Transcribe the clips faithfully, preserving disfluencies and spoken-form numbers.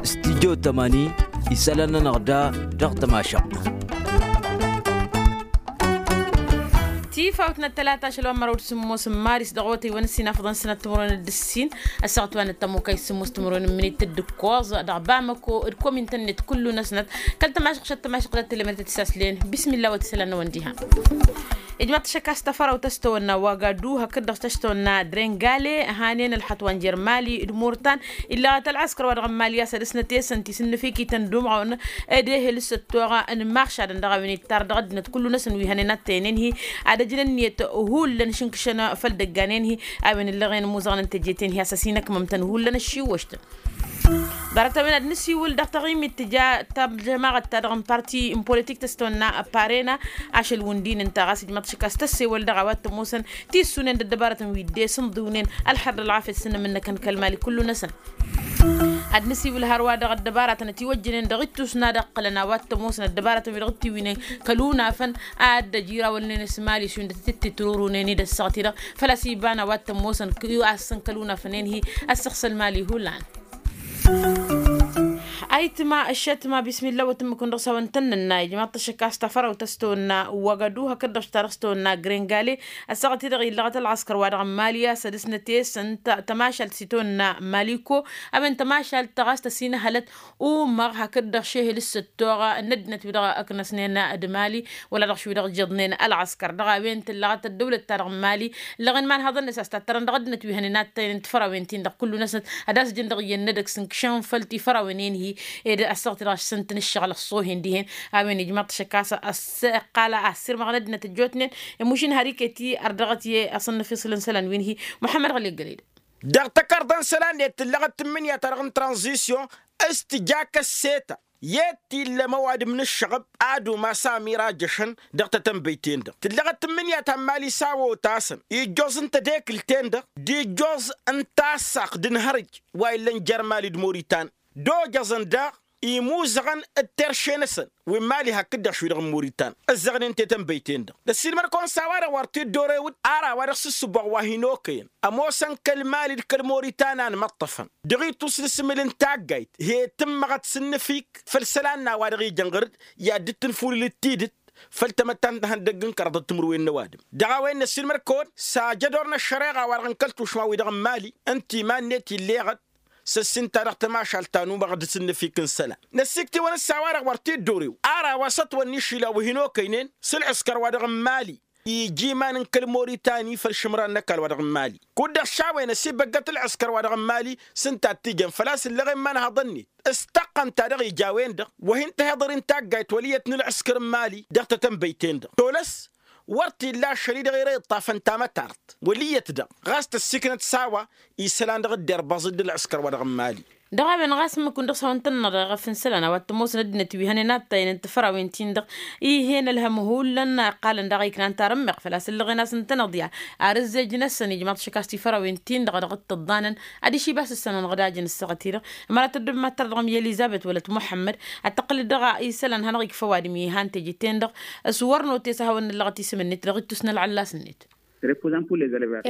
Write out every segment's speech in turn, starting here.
Stidyo tămani isălan-nănăɣ da dăɣ-tămašăɣt. Tifawt n-ăttălata ašăl wa n-măraw d-sǝmmos n-maris dăɣ-otăy wa n-ǝssin afḍăn sănăt timǝrwen d-ǝssin. Ăssaɣăt wa n-ăttămokay sǝmmos timǝrwen n-minit d-ǝkkoẓ dăɣ-bamăko d-komintăn-net kullu-năsnăt. Kăl-tămašăɣt šăt tămašăɣt d-ăttălemăr tăt-isaslen. Bismillah wa t-isălan n-awăn diha. Ijmaḍ-t ašăk a-s tăfărawt a-s tăwănna wagadu hakd-dăɣ s-tăwănna drengale hanen ălxăṭṭ wa n-jer-mali d-murtan. Illăɣăt ălɣăskăr wa dăɣ-n mali a-s ad-ăsnăt i-săn tisǝnnǝfikităn d-umɣawăn d-ehel s-ăttoɣa n-imaɣšadăn dăɣ-a-wen ittar dăɣ-ăddinăt kullu-năsăn wi hănen attăyăn-en-hi ad-ăjǝn ǝnniyăt. Hullan šǝnkǝšăn făll-dăggan-en-hi a-wen ǝllăɣen ămuzăɣăn n-teje-ten-hi a-s ăsinăkmăm-tăn hullan ăššiwwăš-tăn. Ḍarăt-a-wen ad-nǝsiwǝl dăɣ-taɣimit tǝja tăjămaɣăt-ta-dăɣ n-parti n-politik tăstăwănna parena. Ašăl wǝndin ǝnta ɣas ijmăḍ šăkk a-s tăssewăl dăɣ-a-wa t-ămoosăn tissunen d-ăddăbarătăn wi dd-esǝnḍǝwnen. Ălxer d-ălɣafyăt s-inǝmǝnnăkăn kăl-mali kullu-năsăn. Ad-nǝsiwǝl hărwa dăɣ-ăddăbaratăn ătiwăjjănen dăɣ-ittus n-ad-ăqqǝlăn a-wa t-ămoosăn ăddăbaratăn wi dăɣ-t-iwǝynen kăl-unafăn. Ad-dd-ăj irawălnen s-mali šund tǝttǝtrurǝwnen-dd ăssaɣăt-i-dăɣ făl-a-s iba n-a-wa t-ămoosăn. Assăn kăl-unafăn-en-hi ăssăɣsăl mali hullan. Ayǝtma ăššătma bismillah wa t-ǝmmǝkǝwăn dăɣ-s hawăn-tăn-nǝnna ijmaḍ-t ăššăk a-s tafărawt a-s tăwănna wagadu hakd-dăɣ s-ta dăɣ-s tăwănna grengale. Ăssaɣăt-i-dăɣ illăɣăt ălɣăskăr wa dăɣ-n mali a-s ad-ǝsnăt i-săn tămašalt s-itawănna maliko. A-wen tămašalt ta ɣas tăsinăhălăt umăɣ hakd-dăɣ šehel s-ăttoɣ n-ăddinăt wi-dăɣ ǝknăsnen d-mali wăla dăɣ-š wi-dăɣ ǝjjăḍnen ălɣăskăr dăɣ-a-wen tǝllăɣăt ăddăwlăt-ta-dăɣ n-mali. Ǝllăɣen imanhăḍăn-net a-s tattărăn dăɣ-ăddinăt wi hănen ad-tăynen tifărawen-tin-dăɣ kullu-năsnăt ad-asǝjǝn dăɣ-iyyăn n-edăgg s-ǝnkšăn făll-tifărawen-en-hi. Ed ăssaɣăt-i-dăɣ a-s săn-tăn-ǝššăɣǝl ăṣṣohen dihen. A-wen ijmaḍ-t šăkk a-s ăqqal a ăssirmăɣăn ăddinăt ăjjootnen. Ămušin har iket-i ărdăɣăt i-asăn n-afiṣǝl n-isălan wi n-hi muḥămmăd ɣăli ăggăled. Dăɣ-takărḍa n-isălan-net tǝllăɣăt tǝmmǝnǝya-ta-dăɣ n-tranzisyon s-tǝja kăsseta i-dd-t-illa măwadǝm n-ǝššăɣǝb ad-umas amir a jăšăn. Dăɣ-tatănbăyt-en-dăɣ tǝllăɣăt tǝmmǝnǝya ta n-mali s-a otasăn ijjoẓ n-tedekǝlt-en-dăɣ d-ijjoẓ n-tasaɣt d-ǝnhărǝj wa illăn jer-mali d-moritan d-ojăẓăn daɣ imuzăɣăn d-terše-năsăn wi n-mali hakd-dăɣ š-wi-dăɣ n-moritan. Ǝzzăɣnen tetănbăyt-en-dăɣ d-ăssiilmăr-kăwăn s-a-wa-dăɣ wăr t-dd-orewǝd ar a-wa dăɣ-s ǝssǝboɣ wa hin-okăyăn ămoosăn kăl-mali d-kăl-moritan a ănmăṭṭăfăn dăɣ-itus n-asǝmǝl n-taggayt he-tǝmmăɣăt s-ǝnnǝfik făll-isălan n-a-wa dăɣ-ijăn ɣǝr-dd i-ad-dd-tǝnfulǝl d-tidǝt. Făll-tamăttant n-ihăndăgg n-kăraḍăt timǝrwen n-ăwadǝm dăɣ-a-wen n-ăssiilmăr-kăwăn s-ajădor n-ăššăreɣa wa-dăɣ n-kăl-tušma-wi-dăɣ n-mali ǝnta iman-net ill'-eɣăt s-ăssinta dăɣ-tămašalt ta n-umăɣ d-asǝnnǝfik n-isălan. Năssikt'-iwăn s-a-wa-dăɣ wăr t-dd-orew ar a-wa s-ătwănna išila wi hin-okăynen s-ălɣǝskăr wa dăɣ-n mali ija iman n-kăl-moritani făll-išǝmran n-ăkall wa dăɣ-n mali. Kud-dăɣ šawen ăsibăggăt ălɣǝskăr wa dăɣ-n mali s-ǝnta a t-ijăn făl-a-s ǝllăɣen imanhaḍăn-net s-taqqăn ta dăɣ-ija a-wen-dăɣ wa hin-tǝhiḍăr intaggayt wăl' iyyăt n-ălɣǝskăr n-mali dăɣ-tatănbăyt-en-dăɣ tolăs. Wăr t-illa ašăl-i-dăɣ ere iṭṭafăn tamătart wăl' iyyăt-dăɣ ɣas tăssiknăt s-a-wa isălan dăɣ-dd-irbăẓ-dd ălɣǝskăr wa dăɣ-n mali. Dăɣ-a-wen ɣas ǝmmǝk-wǝn dăɣ-s a-wa n-tănnăɣ dăɣ-efănsa lan a-wa t-ămoosăn ăddinăt wi hănen ad-taynen tifărawen-tin-dăɣ. Ih'-en ălhăm hullan ăqqalăn daɣ a iknan tarǝmmeɣt făl-a-s ǝllăɣen a-s ǝntăneḍ i-ad-ăzzejăn-asăn ijmaḍ-t šăkk a-s tifărawen-tin-dăɣ dăɣ-t tǝḍḍanăn. Ad-išibas ǝssanăn ɣǝd ajăn ǝssaɣăt-i-dăɣ ămăra tăddǝb ma t-tărdăɣăm i-elizăbet wălăt muḥămmăd ad-tăqqǝlăt dăɣ-isălan hanăɣ-ikfă ăwadǝm i-han teje-ten-dăɣ. S-wăr notes a hawăn-nǝllăɣăt isǝm-net dăɣ-ittus n-ălɣăllas-net.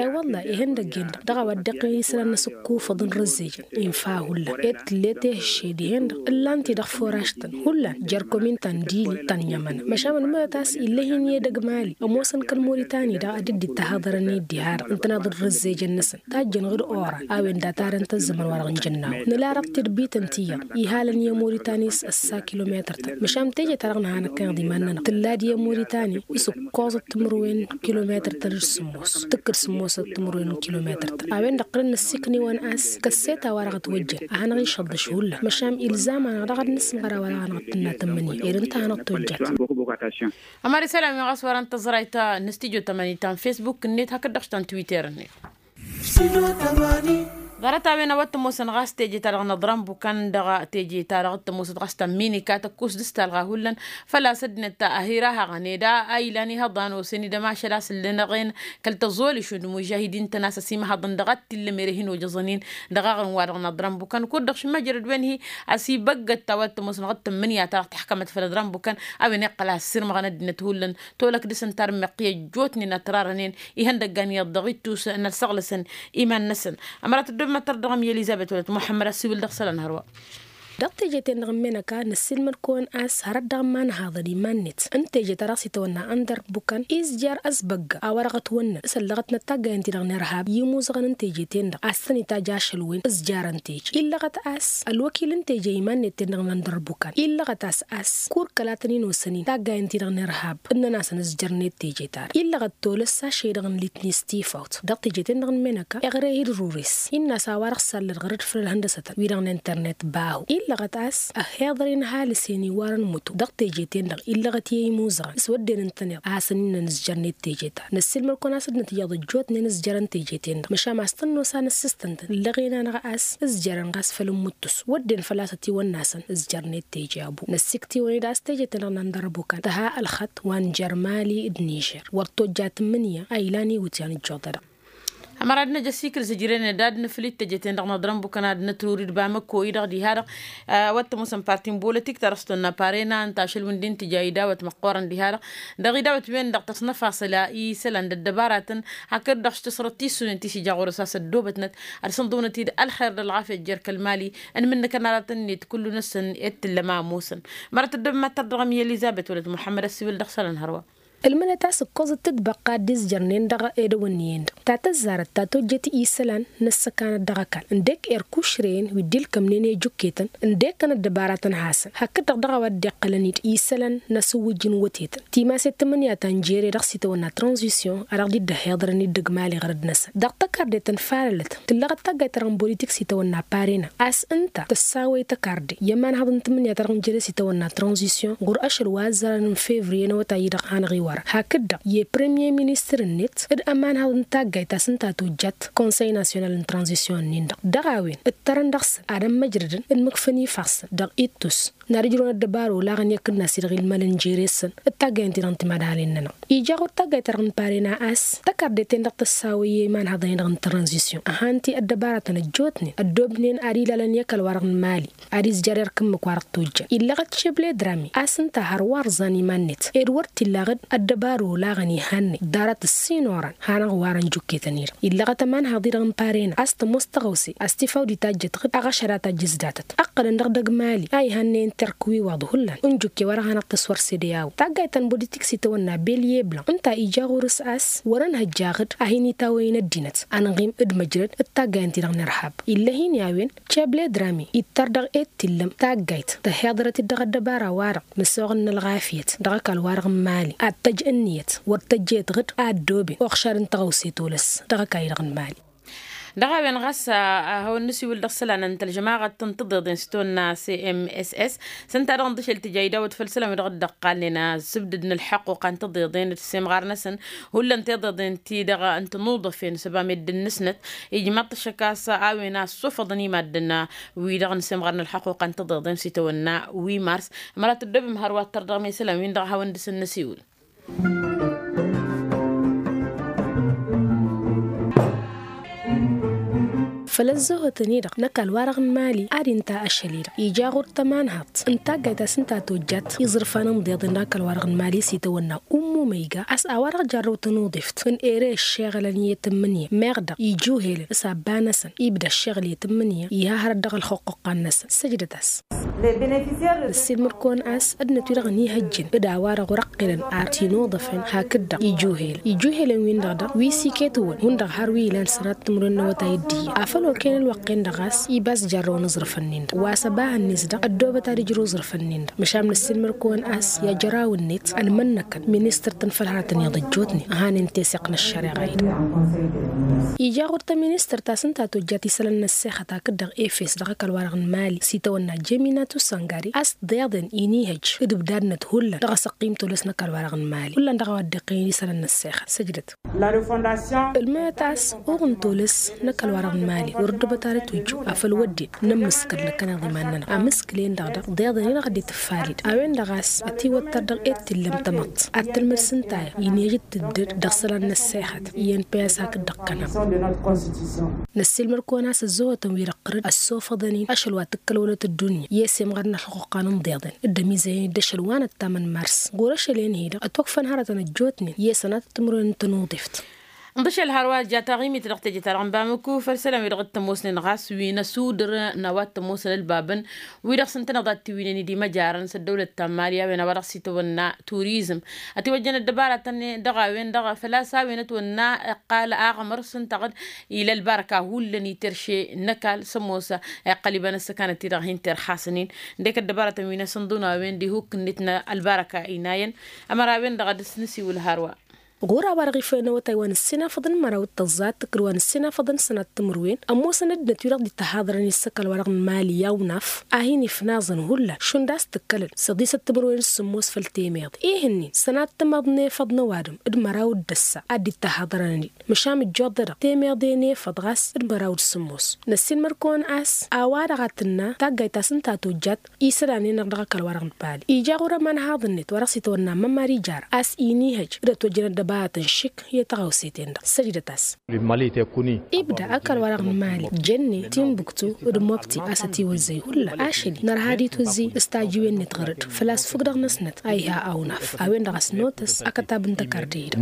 E-wălla-hi ihăndăgg-en-dăɣ dăɣ-a-wa dd-iqqăn isălan n-asǝkkufăḍ n-rǝzzejăn infa hullan ed tǝllet ehăšše dihen-dăɣ ǝllan-t-i dăɣ-furaš-tăn hullan jer-komin ta n-dili ta n-inyămănăn măšan ălmăyăt a-s ill'-e-hi n-edăgg mali ămoosăn kăl-moritani daɣ ad-dd-ittăhaḍărăn i-dd-iha-dăɣ ǝntăneḍ d-rǝzzejăn-năsăn tajjăn ɣǝd oran a-wen datarăn-t ăzzăman wa dăɣ-nǝjănnaw nǝla dăɣ-tirbităn ti iyyăḍ ihalăn i-moritani s-ăssa kilometăr-tăn măšan teje-ta-dăɣ nǝha năkkăneḍ iman-nănăɣ tǝlla-dd i-moritani s-ǝkkoẓăt timǝrwen kilometăr-tăn d-sǝmmos tǝkkǝd sǝmmosăt timǝrwen n-kilometăr-tăn a-wen-dăɣ ɣǝrǝn năssiikniwăn a-s kăsset a-wa-dăɣ ătwăjjăn ad-hanăɣ-išăḍḍăš hullan măšan ilzam-anăɣ daɣ ad-nǝsmăɣăr a-wa-dăɣ a hanăɣ-tǝnna tǝmmǝnǝya ed ǝnta a hanăɣ-tojjat. Ămăra isălan wi ɣas wărăn tăẓrayt n-studyo tămăni ta n-fesbuk-net hakd-dăɣ ta n-twitter-net. Studyo tămăni. Ḍarăt-a-wen a-wa t-ămoosăn ɣas teje-ta-dăɣ n-aḍrănbukăn dăɣ-teje-ta-dăɣ t-ămoosăt ɣas tămminika tăkkus d-s talɣa hullan. Făl-a-s ăddinăt ahir a haɣăn ed a ilan ihăḍan osen-dd ămašal a-s ǝllănăɣen kăl-tăẓoli šund mužahidin-tăn a-s ăsimăhăḍăn dăɣ-ad-t-illăm ere hin-ojăẓăn-in dăɣ-aɣrǝm-wa-dăɣ n-aḍrănbukăn kud-dăɣ šimăjrăd-wen-hi. Ăsibăggăt a-wa t-ămoosăn ɣas tămmǝnǝya-ta-dăɣ tǝḥkămăt făll-aḍrănbukăn a-wen iqqăl a ăssirmăɣăn ăddinăt hullan tolăk dăɣ-săn tarmăqqi ăjjootnen ătrarănen ihăndăggan iyyăḍ dăɣ-ittus n-ălsăɣlăsăn iman-năsăn. Ămărat ăddob măttăr dăɣ-mi elizăbet wălăt muḥămmăd ăssiwǝl dăɣ-isălan hărwa. Dăɣ-teje-ten-dăɣ ǝmmenăka năssiilmăd-kăwăn a-s hărăt dăɣ-imanhaḍăn iman-net n-teje-ta-dăɣ s-itawănna ăndărbukăn izjar ăsbăgga a-wa dăɣ-ătwănnăn s-ăllăɣătnăt taggayăn-ti-dăɣ n-irhab i-imuzăɣăn n-teje-ten-dăɣ a-s tăn-itajj ašăl-wen ǝzjarăn teje illăɣăt a-s ălwăkil n-teje iman-net-ten-dăɣ n-ăndărbukăn illăɣăt a-s a-s kur kăla tăn-in-osăn-in taggayăn-ti-dăɣ n-irhab ǝnnăn-asăn ǝzjărnet teje-ta-dăɣ illăɣăt tolăs ašăy-dăɣ n-litnis tifawt dăɣ-teje-ten-dăɣ n-menăka iɣreh-dd ărures innă a-s a-wa-dăɣ sallăd ɣăr-dd făll-ălhăndăsătăn wi-dăɣ n-internet bahu illăɣăt a-s ăhhiḍăr-in ăhalǝs-en iwarăn mutu dăɣ-teje-ten-dăɣ illăɣăt i-imuzăɣăn s-wădden ǝntăneḍ a hasăn-innăn ǝzjărnet teje-ta-dăɣ năssiilmăd-kăwăn a-s ăddinăt iyyăḍ ăjjootnen ǝzjărăn teje-ten-dăɣ măšan a-s tănnosa n-ǝssǝstăn-tăn ǝllăɣen-anăɣ a-s ǝzjărăn ɣas făll-ǝmmuttus wădden făl-a-s ătiwănn'-asăn ǝzjărnet teje abu năssikt'-iwăn-dd a-s teje-ten-dăɣ n-andărbukăn tǝha ălxăṭṭ wa n-jer-mali d-nižer wăr tojja tǝmmǝnǝya a ilan iwǝtyan ǝjjuḍădăɣ. Ămăra ad-năj ăsikǝl zǝjren d-ad-ad-năj nǝfǝl-dd teje-ten-dăɣ n-aḍrănbukăn ad-nătrur-dd bamăko-i-dăɣ diha-dăɣ. Wăr t-ămoosăn parti n-bolotik ta dăɣ-s tăwănna parena ǝnta ašăl wi n-dd-intǝj a idawăt măqqoorăn diha-dăɣ dăɣ-idawăt-wen-dăɣ tăsnăfasăla isălan d-ăddăbaratăn hakd-dăɣ s-tǝsrăt tissunen ti s-ija ɣur-s a-s ăddoobătnăt ad-sǝnḍǝwnăt-dd ălxer d-ălɣafyăt jer-kăl-mali. Ănmǝnnǝkăn aratăn-net kullu-năsăn i-d tǝllăm a ămoosăn. Mărăt ăddoob mad-tărdăɣăm i-elizăbet wălăt muḥămmăd ăssiwǝl dăɣ-isălan hărwa. Ǝlmǝnăt a-s ǝkkoẓăt tǝtbăqqa a dd-izjărnen dăɣ-edăwănniyăn-dăɣ ta tăzzarăt ta tojjăt isălan n-ăssăkanăt dăɣ-ăkall ǝndek erk ušrăyăn wi dd-ilkămnen i-ijǝkketăn ǝndek kăn-ăddăbaratăn hasăn hakd-dăɣ dăɣ-a-wa dd-iqqălăn-dd isălan n-asǝwwǝjj n-wătetăn timaset tǝmmǝnǝya ta n-jere dăɣ-s itawănna tranzisyon a dăɣ-dd-ăhhiḍărăn iddǝg mali ɣărăd-năsăn dăɣ-tăkarde ta n-falălăt tǝllăɣăt taggayt-ta-dăɣ n-bolitik s-itawănna parena a-s ǝnta tăssawăy tăkarde i-ămanhăḍ n-tǝmmǝnǝya ta dăɣ-n jere s-itawănna tranzisyon ɣur-ašăl wa ăzzărăn n-fevriye n-awătay-i-dăɣ hanăɣ-iwar hakd-dăɣ i-premier ministăr-net d-ămanhăḍ n-taggayt ta s-ǝnta tojjat konsăy nasyonal n-tranzisyon-nin-dăɣ dăɣ-a-wen ǝttărăn dăɣ-săn ad-ămmăjrădăn d-imǝkfăn ifassăn dăɣ-ittus n-ad-ǝjrǝwăn ăddăbaro olaɣăn i-akǝnnas-i-dăɣ ilmălăn jere-săn d-taggayăn-ti-dăɣ n-timadalen-nănăɣ ija ɣur-d taggayt-ta-dăɣ n-parena a-s tăkarde-ten-dăɣ tăssawăy i-imanhăḍăn-i-dăɣ n-tranzisyon ăhan-ti ăddăbaratăn ăjjootnen ăddoobnen ad-ilalăn i-ăkall-wa-dăɣ n-mali ad-izjăr erk ǝmmǝk wa dăɣ-tojjăn illăɣăt šebledrami a-s ǝnta har wa ărẓan iman-net ed wăr t-illaɣ-dd ăddăbaro olaɣăn iha-net ḍarăt ǝssin orăn hanăɣ-iwarăn jukketăn-i-dăɣ illăɣăt ămanhăḍ-i-dăɣ n-parena a-s tămoos tăɣăwse a-s tifaw d-itajjăt ɣǝd aɣăšăd a tajjăs datăt ǝqqălăn dăɣ-dăgg mali a iha-net n-terk wi iwaḍ hullan n-jukke wa dăɣ-hanăɣ-tăswăr sedeyaw taggayt ta n-bolitik s-itawănna belyebla ǝnta ija ɣur-s a-s wăr-ănhăjja ɣǝd a hin-itawăyăn ăddinăt ănɣim d-măjrăd d-taggayăn-ti-dăɣ n-irhab ill'-ahin i-a-wen cebledrami ittăr dăɣ-e d t-illăm taggayt tăhhiḍărăt-dd dăɣ-ăddăbara-wa-dăɣ n-ăssoɣăn n-ălɣafyăt dăɣ-ăkall-wa-dăɣ n-mali ad-tăj ǝnniyăt wăr tăjjăyăt ɣǝd a ăddooben uɣšad n-tăɣawse tolăs dăɣ-ăkall-i-dăɣ n-mali. Dăɣ-a-wen ɣas a hawăn-nǝsiwǝl dăɣ-isălan n-tălžămaɣăt n-tiḍeḍen s-tonna cmss s-ǝnta-dăɣ n-dăšel tǝja idawăt făll-isălan wi dăɣ-dd-ăqqalnen asǝbdǝd n-ălḥăqquqa n-tiḍeḍen d-semɣar-năsăn hullan tiḍeḍen-ti-dăɣ n-tinuḍăfen s-ăba meddǝn-năsnăt. Ijmaḍ-t ăššăk a-s a-wen a ăssufăḍăn i-maddǝn wi-dăɣ n-semɣar n-ălḥăqquqa n-tiḍeḍen s-itawănna wi mars. Măra tǝddobăm hărwa ăttăr dăɣ-mesălan-win-dăɣ a hawăn-dăɣ-săn năsiwǝl. Făll-ăzzăhotăn-i-dăɣ n-ăkall-wa-dăɣ n-mali ad-inta ašăl-i-dăɣ ija ɣur-tămanhaḍt n-taggayt ta s-ǝnta tojjat iẓrǝfan n-iḍeḍen dăɣ-ăkall-wa-dăɣ n-mali s-itawănna ummu măyga a-s a-wa-dăɣ jarrăw tănuḍeft n-ere ăššeɣǝlăn i-tǝmmǝnǝya meɣ dăɣ-ijuhelăn s-abba-năsăn ibda ăššeɣǝl i-tǝmmǝnǝya iha hărăt dăɣ-ălxuqquqqa-năsăn săjdăt-as. Năssiilmăd-kăwăn a-s ăddinăt wi-dăɣ ănihăjjăn d-a-wa-dăɣ wăr-ăqqilăn ar tinuḍăfen hakd-dăɣ ijuhelăn ijuhelăn-win-dăɣ dăɣ wi s-iket-wăn hundăɣ har wi ilan sănat timǝrwen n-awătay d-iyyăn afăl okăyăn ălwăqq-en-dăɣ a-s iba a-s jarrăwăn aẓrǝf-ǝnnin-dăɣ wa s-ăbahăn-net dăɣ-ăddoobăt ad-ǝjrǝw aẓrǝf-ǝnnin-dăɣ măšan năssiilmăd-kăwăn a-s i-ajăraw-net ănmănnăkăn ministăr ta n-fălharătăn iyyăḍ ăjjootnen ăhanen teseɣt n-ăššăreɣa-i-dăɣ. Ija ɣur-tăministăr ta s-ǝnta tojjat isălan n-ăssexăt hakd-dăɣ efes dăɣ-ăkall-wa-dăɣ n-mali s-itawănna jemina Tusăngari a-s d-iḍen inihăj d-ǝbdadnăt hullan dăɣ-asăqqim tolăs n-ăkall wa-dăɣ n-mali hullan dăɣ-a-wa dd-iqqăyăn isălan n-ăssexăt săjdăt. Ǝlmănăt a-s uɣǝn tolăs n-ăkall wa-dăɣ n-mali wăr dd-ăbăt ara tujju afăl wădden nămmǝskăl năkkăneḍ iman-nănăɣ amǝskǝl-en-dăɣ dăɣ-d-iḍen-i-dăɣ a dd-tǝfalid a-wen-dăɣ a-s ătiwăttăr dăɣ-e d-t-illăm tamăḍt ad-tǝlmǝd s-ǝnta a-wen inhăj d-tǝddǝd dăɣ-isălan n-ăssexăt iyyăn păy a-s hakd-dăɣ-kăneḍ. Năssiilmăr-kăwăn a-s ăzzăhotăn-wi-dăɣ tărǝd ăssofăḍăn-in ašăl wa tǝkkăl wălăt ăddunya i-esemɣăr n-ălxuqqa n-inḍeḍen d-ămizăyăn-dd ašăl wa năttamăn mars ɣur-ašăl-en-hi-dăɣ ătwăkfăn hărătăn ăjjootnen i-sănatăt timǝrwen n-tănuḍeft. Ǝnḍǝšăl hărwa ăjja taɣimit dăɣ-teje-ta-dăɣ n-bamăku făll-isălan-wi-dăɣ t-ămoosnen ɣas wi n-ăsudǝr n-a-wa t-ămoosăn ălbabăn wi-dăɣ s-ǝntăneḍ ad-t-iwǝynen d-imăjarăn s-ăddăwlăt ta n-mali a-wen a-wa dăɣ-s itawănna turizm. Ătiwăjjăn ăddăbaratăn dăɣ-a-wen-dăɣ făl-a-s a-wen ătwănna iqqal aɣmăr s-ǝnta a-dăɣ ila ălbarăka hullan iterše n-ăkall s-ămoos iqqăl iba n-ăssăkanăt-ti-dăɣ hin-terxasăn-in. Ǝndek ăddăbaratăn wi n-asǝnḍǝnu a-wen d-ihuk-net n-ălbarăka inayăn. Ămăra a-wen-dăɣ ad-dăɣ-s nǝsiwǝl hărwa. Ɣur-a-wa-dăɣ ifălăn awătay wa n-ǝssinafăḍăn n-măraw d-tăẓẓa d-tǝkkǝl wa n-ǝssinafăḍăn n-sănat timǝrwen ămoosăn ăddinăt wi-dăɣ dd-ittăhaḍărăn i-ǝssăkal wa-dăɣ n-mali i-awnaf a hin-ifnaẓăn hullan šund a-s tǝkkălăn săḍisăt timǝrwen s-sǝmmos făll-temeḍe. Ih'-ǝnnin sănat timăḍ n-efăḍ n-ăwadǝm d-măraw d-ăssa a dd-ittăhaḍărăn-dd măšan ǝjjoḍ-dăɣ temeḍe n-efăḍ ɣas d-măraw d-sǝmmos. Năssiilmăr-kăwăn a-s a-wa-dăɣ a tǝnna taggayt ta s-ǝnta a tojjat isălan-en-dăɣ dăɣ-ăkall wa-dăɣ n-bali ija ɣur-ămanhaḍ-net wa dăɣ-s itawănna mămmar ijar a-s inihăj d-ătwăjjăn ăddăbaratăn šik i-taɣăwset-en-dăɣ săjdăt-as. Ibda ăkall wa-dăɣ n-mali jănnen timbuktu d-mobti a-s ătiwăzzăy hullan ašăl-i nărha d-itwǝzzǝy s-tajiwen-net ɣăr-dd făl-a-s fukk dăɣ-năsnăt a iha awnaf a-wen-dăɣ a-s notăs akătab n-tăkarde-i-dăɣ.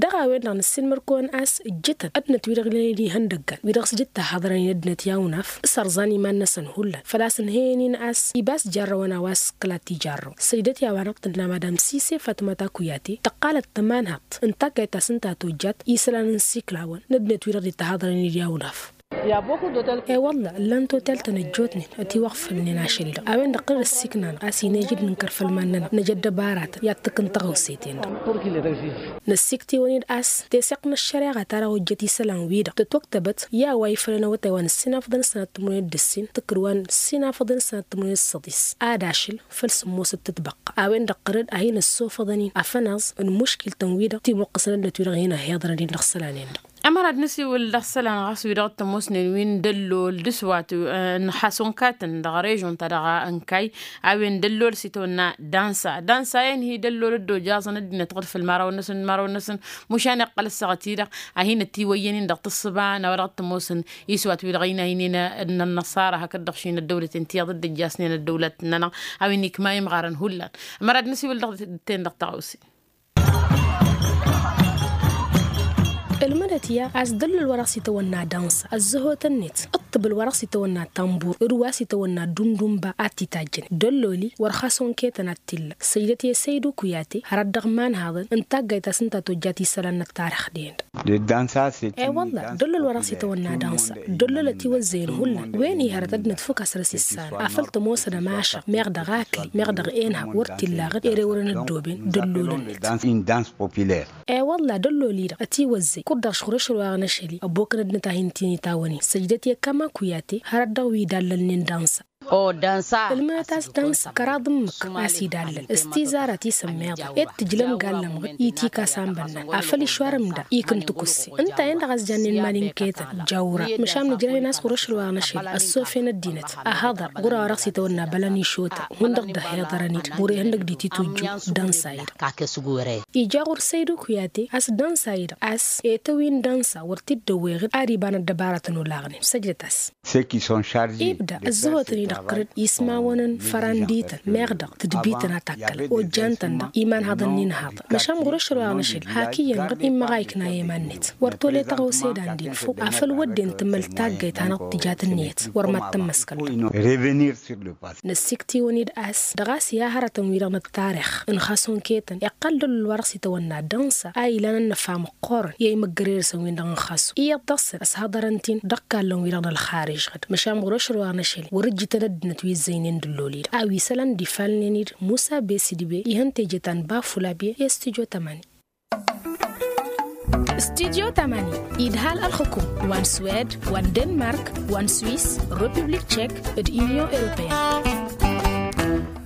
Dăɣ-a-wen-dăɣ năssiilmăr-kăwăn a-s ǝjjǝtăn ăddinăt wi-dăɣ ǝlăn-dd ihăndăggan wi-dăɣ s-dd-ittăhaḍărăn i-ăddinăt i-awnaf s-ărẓan iman-năsăn hullan făl-a-s ǝnhăyăn-in a-s iba s-jarrăwăn a-wa s-kǝlat ijarrăw săjdăt i-a-wa-dăɣ tǝnna madam sise fatmata kuyate tăqqalăt tămanhăḍt n-taggayt ta s-ǝnta a tojjat isălan n-isiklawăn n-ăddinăt wi-dăɣ dd-ittăhaḍărăn i-awnaf. E-wălla ǝllan totel-tăn ăjjootnen ătiwăɣfălnen ašăl-i-dăɣ a-wen-dăɣ tăr-dd ăssiikna-năɣ a-s inejăd nǝnkăr făll-iman-nănăɣ năj ăddăbaratăn i-ad-tǝkk n-taɣăwset-en-dăɣ. Năssiiktǝwăn-dd a-s teseɣt n-ăššăreɣa ta dăɣ-ojjăt isălan-wi-dăɣ tătwăktăbăt i-a-wa ifălăn awătay wa n-ǝssinafăḍăn s-sănat timǝrwen d-ǝssin tǝkkǝd wa n-ǝssinafăḍăn s-sănat timǝrwen d-săḍis ad-ašǝl făll-sǝmmosăt tǝtbăqqa a-wen-dăɣ tăr-dd a hin-ăssofăḍăn-in afănaẓ n-imuškil-tăn-wi-dăɣ timǝqqǝsăn ăddinăt wi-dăɣ hin-ăhhiḍărăn-in dăɣ-isălan-en-dăɣ. Ămăra ad-nǝsiwǝl dăɣ-isălan ɣas wi-dăɣ t-ămoosnen wi n-dăllol d-aswat n-xasunkatăn dăɣ-režon-ta-dăɣ n-kay a-wen dăllol s-itawănna dansa dansa-en-hi dăllol dd-ojaẓăn ăddinăt ɣǝd făll-imărawăn-năsăn imărawăn-năsăn mušan iqqăl ăssaɣăt-i-dăɣ a hin-ătiwăyyăn-in dăɣ-tǝssǝba n-a-wa dăɣ-t-ămoosăn iswat-wi-dăɣ inaynen n-ănnăṣara hakd-dăɣ šin ăddăwlăten tiyyăḍ dd-ǝjjasnen ăddăwlăt-nănăɣ a-wen ikma imɣarăn hullan. Ămăra ad-nǝsiwǝl dăɣ-ten-dăɣ taɣawse. Ǝlmǝdăt i-a a-s dăllol wa dăɣ-s itawănna dansa ăzzăhotăn-net ǝṭṭǝbǝl wa dăɣ-s itawănna tambur d-wa s-itawănna dundunba ad-t-itajjănen dăllol-i wăr xas onketăn ad-t-illa săjdăt i-săydu kuyate hărăt dăɣ-imanhaḍăn n-taggayt ta s-ǝnta tojjat isălan n-ăttarix-den-dăɣ. E-wălla dăllol wa dăɣ-s itawănna dansa dăllol ătiwăzzăyăn hullan wen-hi hărăt ăddinăt fuk a săr-s issarăn afăl tămoosăn ămašăɣ meɣ dăɣ-akli meɣ dăɣ-enhăb wăr t-illa aɣǝd ere wărăn ăddooben dăllol-net. E-wălla dăllol-i-dăɣ ătiwăzzăy kud-dăɣ šɣur ašăl wa n-ašăl-i ăbokăn ăddinăt a hin-t-in-itawăn-in săjdăt i-kama kuyate hărăt dăɣ-wi idallălnen dansa. Ǝlmǝnăt a-s dansa kăraḍ ǝmmǝk a-s idallăl s-tizara ti sămmeḍăn ed tǝjlăm gallăm ɣǝd itikasăn bănnan afăl išwar ǝmda ikǝn tǝkusse ǝnta-en-dăɣ a-s jannen iman-i n-ketăn jawra măšan nǝjrăh-in a-s ɣur-ašăl wa n-ašăl ăssofen ăddinăt. Ahăḍăr ɣur-a-wa dăɣ-s itawănna bălăn išotăn hundăɣ dd-ăhhiḍărăn-dd wăr-ihăndăg d-ititujju dansa-i-dăɣ. Ija ɣur-săydu kuyate a-s dansa-i-dăɣ a-s etăwin dansa wăr t-dd-ăwweɣ-dd ar iba n-ăddăbaratăn olaɣnen săjdăt-as. Ibda ăzzăhotăn-i-dăɣ tărǝd ismawăn n-fărandităn meɣ dăɣ-tǝdbităn a takkălăn ojjan-tăn-dăɣ imanhaḍăn n-inhaḍăn măšan ɣur-ašăl wa n-ašăl hak iyyăn ɣǝd immăɣ a ikna i-iman-net wăr tole tăɣawse d-andi n-făw afăl wădden tǝmăl taggayt hanăɣ-tǝja tǝnniyăt wăr mad-tămmăskăl. Năssikt'-iwăn-dd a-s dăɣ-a-s i-ad-hărătăn-wi-dăɣ n-ăttarix n-xas onketăn iqqăl dăllol wa dăɣ-s itawănna dănsa a ilan ănnăfa măqqoorăn i-imăggăre-dăɣ-săn-win-dăɣ n-xasu iyyăḍ dăɣ-săn ăshăḍărăn-t-in dăɣ-ikallăn-wi-dăɣ n-ălxarij ɣǝd măšan ɣur-ašăl wa n-ašăl wăr-ǝjjǝtăn ăddinăt wi ǝzzăynen dăllol-i-dăɣ a-wa isălan d-ifalnen-dd musa besǝdbe ihăn teje ta n-bafulabe i-stujo tămani. Studyo tamani idhal ălxukum wa n-swed wa n-denmark wa n-swis, republik tchek, d-inyon europeyăn.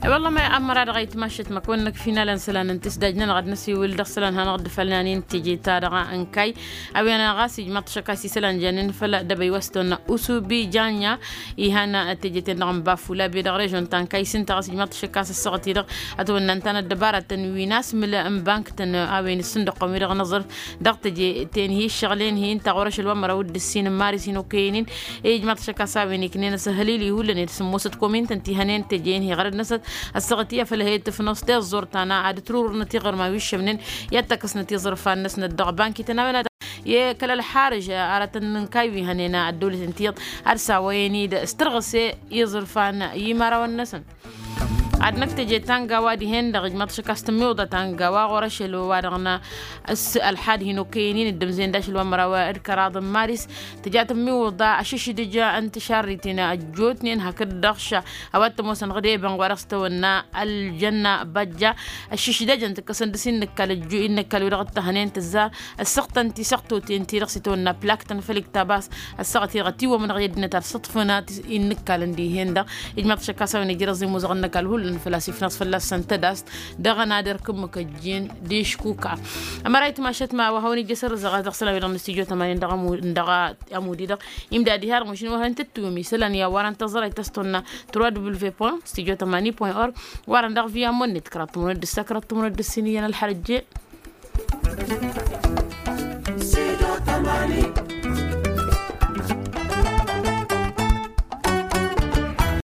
I-wălla ma i-ămmăra dăɣ-ayǝtmašăt măkwăn-năk finalăn isălan n-tisdaj-nănăɣ ad-năsiwǝl dăɣ-isălan hanăɣ-dd-fălnanen teje-ta-dăɣ n-kayy. A-wen ɣas ijmaḍ-t šăkkas isălan jannen făll-dăbăy wa s-tăwănna usubi janja, ihan teje-ten-dăɣ n-bafula be dăɣ-režon ta n-kayy s-ǝnta ɣas ijmaḍ-t šăkkas ăssaɣăt-i-dăɣ ătwănna ǝnta n-ăddăbara tăn-wi n-asmǝl n-bank-tăn. A-wen s-sǝndăqqăm-wi-dăɣ n-aẓrǝf dăɣ-teje-ten-hi ǝššăɣǝl-en-hi ǝnta ɣur-ašăl wa n-măraw d-ǝssin n-maris hin-okăyăn-in. Ijmaḍ-t šăkkas a-wen iknen asăhălil ihullan ed sǝmmosăt komintăn ti hănen teje-en-hi ɣărăd-năsăt ăssaɣăt i-afăl he-tǝfnăẓ tiẓẓurt ta n-ad-ǝtrurǝrnăt iɣărman wi ǝššămnen i-ad-t-ăkkăsnăt iẓrǝfan-năsnăt dăɣ-bank-ităn a-wen ad-tăn-nǝnkay wi hănen ăddăwlăt n-tiyyăḍ ad-sawăyăn-dd s-tărɣǝse iẓrǝfan i-imărawăn-năsăn. Ad-năkk teje ta n-gawa dihen-dăɣ ijmaḍ-t šăkkas tǝmmiwǝḍa ta n-gawa ɣur-ašăl wa dăɣ-năsăs ălxad hin-okăyăn-in dd-ǝmzăyăn d-ašăl wa n-măraw d-kăraḍ n-maris. Tǝja tǝmmiwǝḍa ašǝšdǝj n-tišarriten ăjjootnen hakd-dăɣ ša a-wa t-ămoosăn ɣǝd ebănɣ wa dăɣ-s tăwănna ăljanna băjja. Ăššǝšdăjăn tǝkkăsăn dăr-s innăkkal ăjju innăkkal-wi-dăɣ t-tahnen tǝzzar ăssăɣtăn tisăɣtoten-ti-dăɣ s-itawănna plak-tăn făll-iktabas. Ăssaɣăt-i-dăɣ ătiwwămăn ɣǝy ăddinăt ad-sǝṭṭfǝnăt innăkkalăn dihen-dăɣ. Ijmaḍ-t šăkkas a-wen ijrăẓ imuzăɣăn n-ăkall hullan făl-a-s ifnăẓ fălla-săn tădast dăɣ-ănader kǝmmǝk ăjjeen d-iškuka. Ămăra itmašăt ma wa hawăn-ija s-ărrǝzăɣ ad-dăɣ-sălan-wi-dăɣ n-studyo tămanin dăɣ-amud-i-dăɣ. Imdadi har măšin wa hăn tǝttǝwǝm isălan i-a-wa ran tăẓrăy tăstonna trois w point studio tamani point org. Wa ran dăɣ-vi ammonnet kăraḍ tămănăt d-ǝssa kăraḍ tămănăt d-ǝssin iyyăn ălxărăjje.